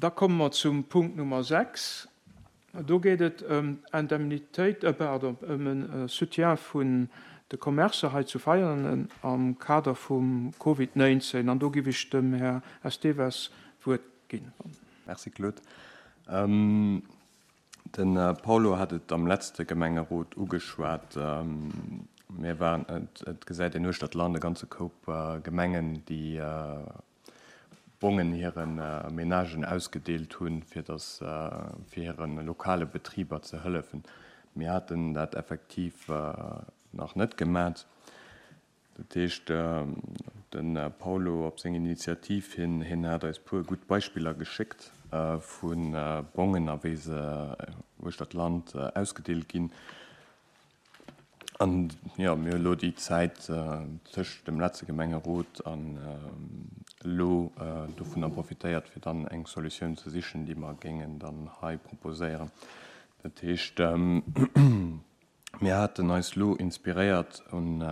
Da komme mer zum Punkt Nummer 6. Do geet et ëm d'Indemnitéit, pardon, ëm e Soutien vun de Commercë hei zu Veianen am Kader vum Covid 19. An do giff ech dem Här Esteves d'Wuert ginn. Merci Claude. De Paulo hat et am letzte Gemengerot ugeschwat. Mir waren, et gesäit een uechter d'Land e ganze Koup Gemengen, déi Bongen hire Menagen ausgedeelt hunn, fir dass, fir hire lokale Betriber ze hëllefen. Mir haten dat effektiv nach net gemat. Dat heescht, de Paulo op seng Initiativ hin, hien hat eis puer gutt Beispiller geschéckt vu Bongen a wéi se uechter d'Land ausgedeelt ginn. An jo, mir hu elo déi Zäit tëscht dem letzte Gemengerot an elo dovunner profitéiert, fir dann eng Solutioun ze sichen, déi mer géingen dann hei proposéieren. Dat heescht, mir haten eis elo inspiréiert un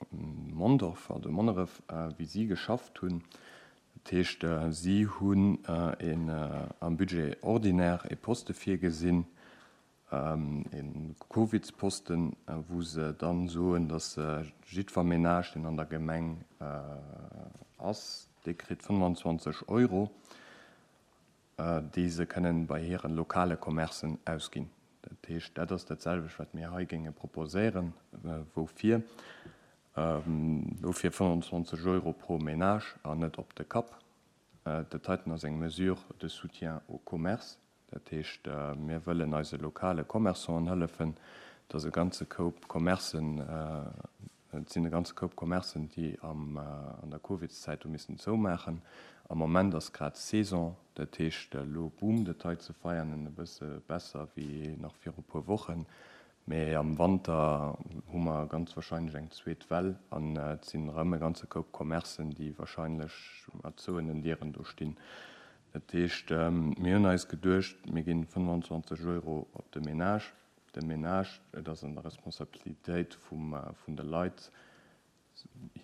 Mondorf, also Monneref, wéi si geschafft hunn. Dat heescht, si hunn een am Budget ordinaire e Poste virgesinn, E Covidsposten, wou se dann soen, datt jiddwer Menage, deen an der Gemeng ass, dee kritt 25 Euro, déi se kënnen bei hire lokale Commercen ausginn. Dat heescht, dat ass dat selwecht, wat mir hei géinge proposéieren. Woufir? Dofir 25 Euro pro Menage an net op de Kapp. Dat heiten ass eng Mesure de soutien au commerce. Dat heescht, mir wëllen eise lokale Commerçanten hëllefen. Et ass e ganze Koup Commercen, et sinn e ganze Koup Commercen, déi am, an der Covidszäit hu missen zoumaachen. Am Moment ass grad Saison, dat heescht, elo boomt et hei zu Veianen e bësse besser wéi nach viru puer Wochen. Mee am Wanter hu mer ganz wahrscheinlech eng zweet Well an et sinn erëm e ganze Koup Commercen, déi wahrscheinlech mat zouenen Dieren do stinn. Dat heescht, mir hunn eis geduecht, mir ginn 25 Euro op de Menage. De Menage, et ass an der Responsabilitéit vun de Leit,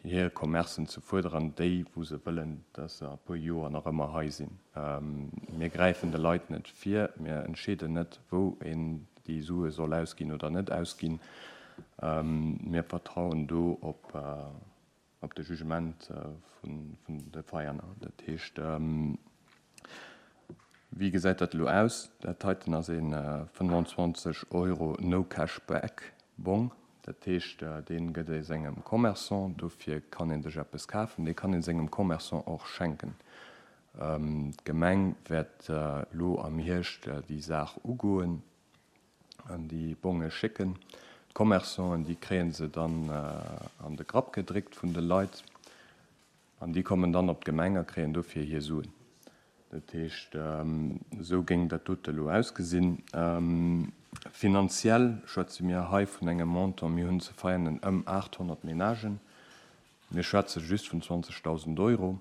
hir Commercen ze fuerderen, déi wou se wëllen, dass se a puer Joer nach ëmmer hei sinn. Mir gräifen de Leit net vir, mir entscheeden net, wou een déi Sue soll ausginn oder net ausginn. Mir vertrauen do op op de Jugement vun de Veianer. Dat heescht, wéi gesäit dat elo aus? Dat heiten ass ee 25 Euro No Cash Back Bong. Dat heescht, dee gëtt ee sengem Commerçant. Dofir kann ee sech eppes kafen. Dee kann ee sengem Commerçant och schenken. D'Gemeng wäert elo am Hierscht déi Saach ugoen. an déi Bonge schécken. D'Commerçanten, déi kréie se dann an de Grapp gedréckt vun de Leit an déi kommen dann op d'Gemeng a kréien dofir hir Suen. Dat heescht, esou géing dat dote elo ausgesinn. Finanziell schwätze mir hei vun engem Montant, mir hunn ze Veianen ëm 800 Menagen, mir schwätze just vun 20.000 Euro.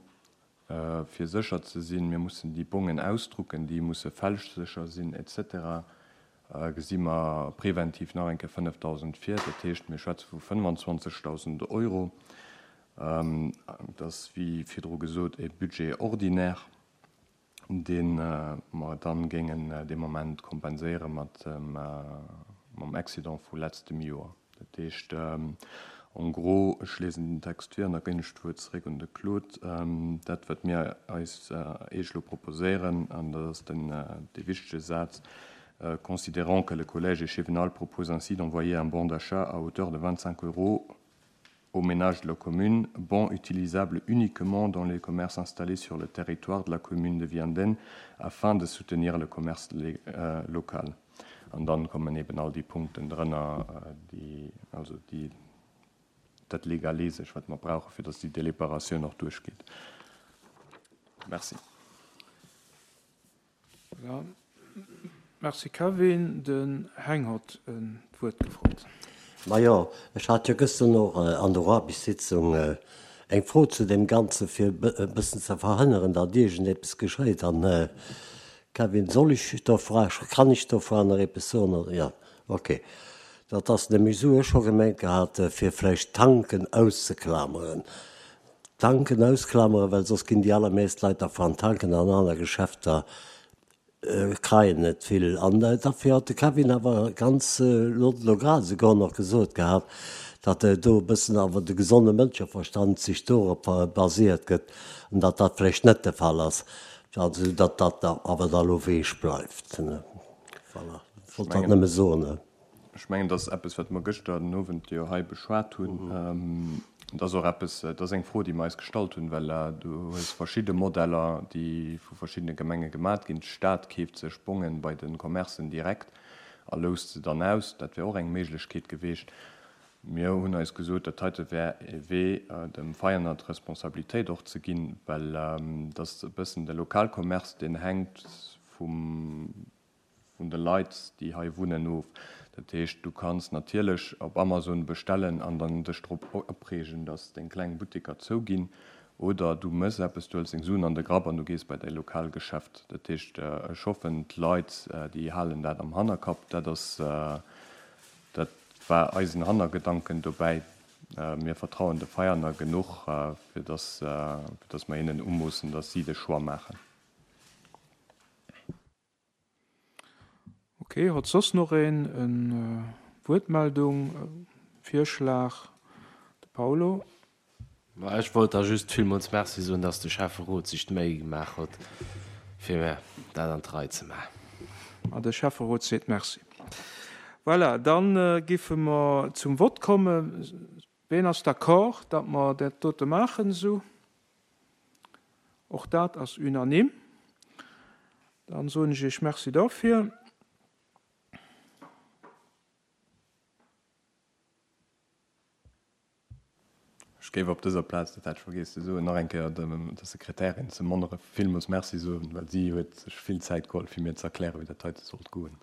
Fir sécher ze sinn, mir mussen déi Bongen ausdrucken, déi musse fälschsécher sinn, et cetera, gesi mer preventiv nach eng Kéier 5.000 vir. Dat heescht, mir schwätze vu 25.000 Euro. Dat ass, wéi virdru gesot, e Budget ordinaire, dee mer dann géingen dee Moment kompenséiere mat mam Excédent vu letztem Joer. Dat heescht, en gros, ech liesen den Text vir an da ginn ech d'Wuert zeréck un de Claude, dat wat mir eis Iech elo proposéieren, an dat ass den dee wichtege Saz, Considérant que le collège échevinal propose ainsi d'envoyer un bon d'achat à hauteur de 25 euros aux ménages de la commune, bon utilisable uniquement dans les commerces installés sur le territoire de la commune de Vianden afin de soutenir le commerce local. An dann kommen eben all déi Punkten drënner, déi, also déi, dat Legalesesch, wat mer brauchen, fir dass déi Deliberatioun och duerchgeet. Merci. Voilà. Merci Kevin. Den Heng hott d'Wuert gefrot. Majo, ech hat jo gëschter och an der Aarbechtssitzung eng Fro zu deem Ganzen, fir e bëssen ze verhënneren, datt iergendeppes geschéit. An, Kevin, soll ech der Fra, kann ech der Fra nach eppes soen oder? Jo, ok. Dat ass nämlech esou, ech hu gemengt gehat, fir vläicht d'Tanken auszeklameren. Tanken ausklamere, well soss ginn déi allermeest Leit da an Tanken an aner Geschäfter kreien net vill. An derfir hat de Kevin awer ganz elo elo grad esouguer nach gesot gehat, datt do e bëssen awer de gesonde Mënscheverstand sech dorop basiert gëtt an datt dat vläicht net de Fall ass, also datt dat awer da elo weech bleift. Voilà, ech wollt dat nëmme soen. Ech mengen, dat ass eppes, wat mer gëschter den Owend jo hei beschwat hunn. Dat ass och eppes, dat ass eng Fro, déi mer eis gestallt hunn, well du hues verschidde Modeller, déi vu verschiddene Gemenge gemat ginn. D'Stad keeft sech Bongen bei de Commercen direkt a loust se dann aus. Dat wär och eng Méiglechkeet geweecht. Mir hunn eis gesot, dat heite wär e Wee, dem Veianer d'Responsabilitéit och ze ginn, well dat ass e bëssen de Lokalcommerce, deen hänkt vum vun de Leit, déi hei wunnen, of. Dat heescht, du kanns natierlech op Amazon bestellen an dann dech drop opreegen, dass deng kleng Butteker zouginn. Oder du mëss eppes, du hëls deng Suen an de Grapp an du gees bei däi Lokalgeschäft. Dat heescht, ech hoffen, d'Leit, déi halen dat am Hannerkapp. Dat ass, dat war eisen Hannergedanken dobäi. Mir vertrauen de Veianer genuch, fir dass, fir dass mer hinnen umoossen, dass si de Choix maachen. Ok, hott soss noch een en Wuertmeldung, Virschlag? De Paulo. Ma ech wollt da just villmools Merci soen, dass de Schäfferot sech d'Méi gemaach hott, fir dat an d'Rei ze maachen. A de Schäfferot seet Merci. Voilà, da giffe mer zum Vott kommen. Ween ass d'accord, datt mer dat dote maachen esou? Och dat ass unanime. Dann soen ech Iech Merci dofir. Ech géif op dëser Plaz, dat hat ech vergiess ze soen, nach eng Kéier der Sekretärin zu Monneref villmools Merci soen, well si huet sech vill Zäit geholl, fir mir ze erklären, wéi dat heite sollt goen.